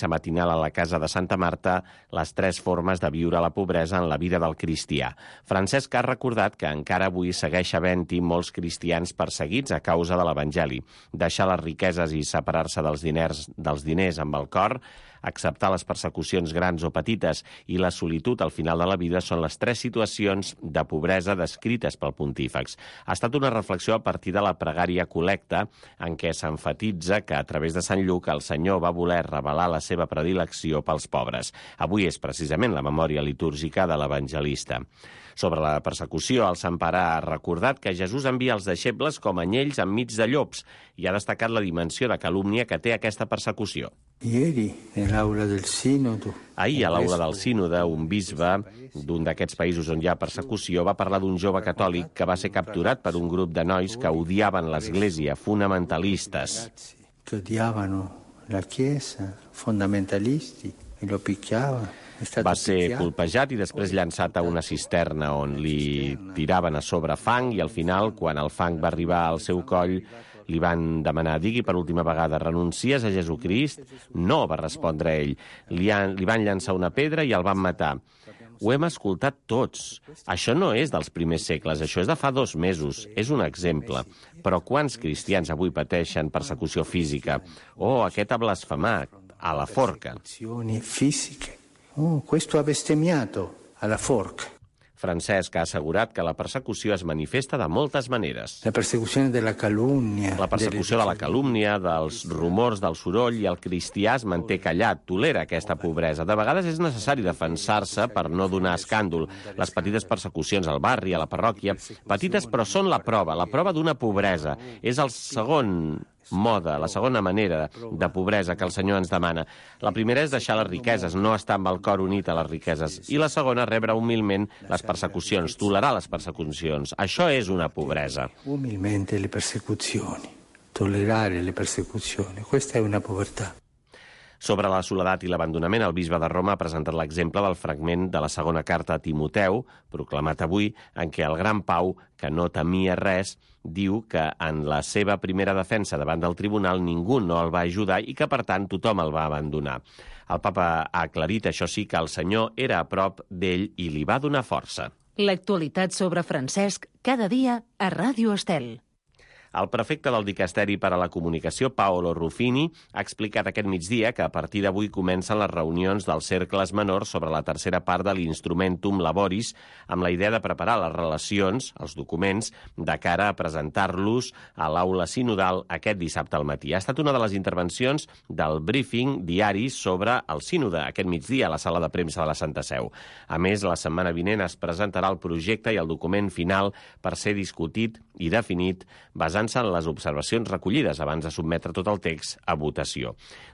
matinal a la casa de Santa Marta les 3 formes de viure la pobresa en la vida del cristià. Francesc ha recordat que encara avui segueix havent-hi molts cristians perseguits a causa de l'Evangeli. Deixar les riqueses i separar-se dels diners amb el cor, acceptar les persecucions grans o petites i la solitud al final de la vida són les 3 situacions de pobresa descrites pel pontífex. Ha estat una reflexió a partir de la pregària col·lecta en què s'enfatitza que a través de Sant Lluc el Senyor va voler revelar la seva predilecció pels pobres. Avui és precisament la memòria litúrgica de l'evangelista. Sobre la persecució, el Sant Pare ha recordat que Jesús envia els deixebles com anyells enmig de llops i ha destacat la dimensió de calúmnia que té aquesta persecució. Ahir, a l'aula del sínode, un bisbe d'un d'aquests països on hi ha persecució va parlar d'un jove catòlic que va ser capturat per un grup de nois que odiaven l'Església, fonamentalistes. Que odiaven la Chiesa, fonamentalisti, i lo picchiavano. Va ser colpejat i després llançat a una cisterna on li tiraven a sobre fang i al final, quan el fang va arribar al seu coll, li van demanar, digui per última vegada, renuncies a Jesucrist? No, va respondre ell. Li van llançar una pedra i el van matar. Ho hem escoltat tots. Això no és dels primers segles, això és de fa 2 mesos. És un exemple. Però quants cristians avui pateixen persecució física? Oh, aquest ha blasfemat, a la forca. Questo ha bestemmiato alla forca. Francesc ha assegurat que la persecució es manifesta de moltes maneres. La persecució de la calúmnia. La persecució de la calúmnia, dels rumors, del soroll, i el cristià es manté callat, tolera aquesta pobresa. De vegades és necessari defensar-se per no donar escàndol. Les petites persecucions al barri, a la parròquia, petites però són la prova d'una pobresa. És el segon mode, la segona manera de pobresa que el Senyor ens demana. La primera és deixar les riqueses, no estar amb el cor unit a les riqueses. I la segona, rebre humilment les persecucions, tolerar les persecucions. Això és una pobresa. Humilmente le persecuzioni, tolerare le persecuzioni. Questa è una povertà. Sobre la soledat i l'abandonament, el bisbe de Roma ha presentat l'exemple del fragment de la segona carta a Timoteu, proclamat avui, en què el gran Pau, que no temia res, diu que en la seva primera defensa davant del tribunal ningú no el va ajudar i que, per tant, tothom el va abandonar. El papa ha aclarit, això sí, que el Senyor era a prop d'ell i li va donar força. L'actualitat sobre Francesc, cada dia a Ràdio Estel. El prefecte del Dicasteri per a la Comunicació, Paolo Ruffini, ha explicat aquest migdia que a partir d'avui comencen les reunions dels cercles menors sobre la tercera part de l'Instrumentum Laboris, amb la idea de preparar les relacions, els documents, de cara a presentar-los a l'aula sinodal aquest dissabte al matí. Ha estat una de les intervencions del briefing diari sobre el sínode aquest migdia a la sala de premsa de la Santa Seu. A més, la setmana vinent es presentarà el projecte i el document final per ser discutit i definit basant-se en les observacions recollides abans de sotmetre tot el text a votació.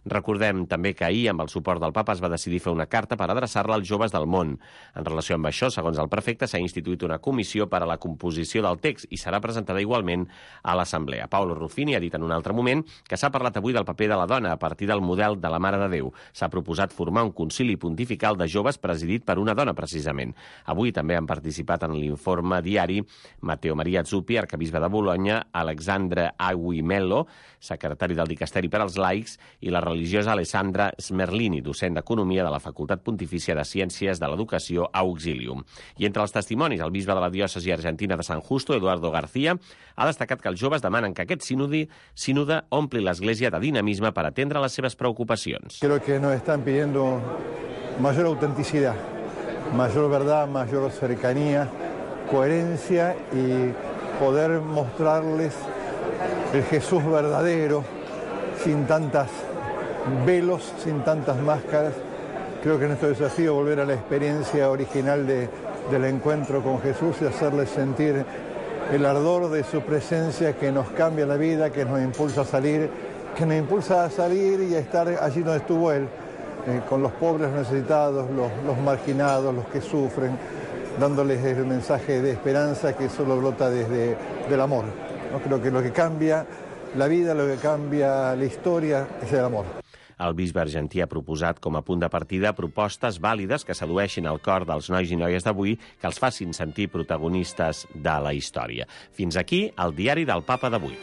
Recordem també que ahir, amb el suport del papa, es va decidir fer una carta per adreçar-la als joves del món. En relació amb això, segons el prefecte, s'ha instituït una comissió per a la composició del text i serà presentada igualment a l'Assemblea. Paolo Ruffini ha dit en un altre moment que s'ha parlat avui del paper de la dona a partir del model de la Mare de Déu. S'ha proposat formar un concili pontifical de joves presidit per una dona, precisament. Avui també han participat en l'informe diari Matteo Maria Zuppi, arquebisbe de Bologna, Alexandre Aguimelo, secretari del Dicasteri per als laics, i la religiosa Alessandra Smerlini, docent d'Economia de la Facultat Pontifícia de Ciències de l'Educació Auxilium. I entre els testimonis, el bisbe de la diòcesi argentina de San Justo, Eduardo García, ha destacat que els joves demanen que aquest sínode ompli l'Església de dinamisme per atendre les seves preocupacions. Creo que nos están pidiendo mayor autenticidad, mayor verdad, mayor cercanía, coherencia y poder mostrarles el Jesús verdadero, sin tantas velos, sin tantas máscaras. Creo que nuestro desafío es volver a la experiencia original del encuentro con Jesús y hacerles sentir el ardor de su presencia que nos cambia la vida, que nos impulsa a salir y a estar allí donde estuvo Él, con los pobres, los necesitados, los marginados, los que sufren, dándoles el mensaje de esperanza que solo brota desde el amor. ¿No? Creo que lo que cambia la vida, lo que cambia la història és l'amor. El bisbe argentí ha proposat com a punt de partida propostes vàlides que sedueixin el cor dels nois i noies d'avui, que els facin sentir protagonistes de la història. Fins aquí el diari del Papa d'avui.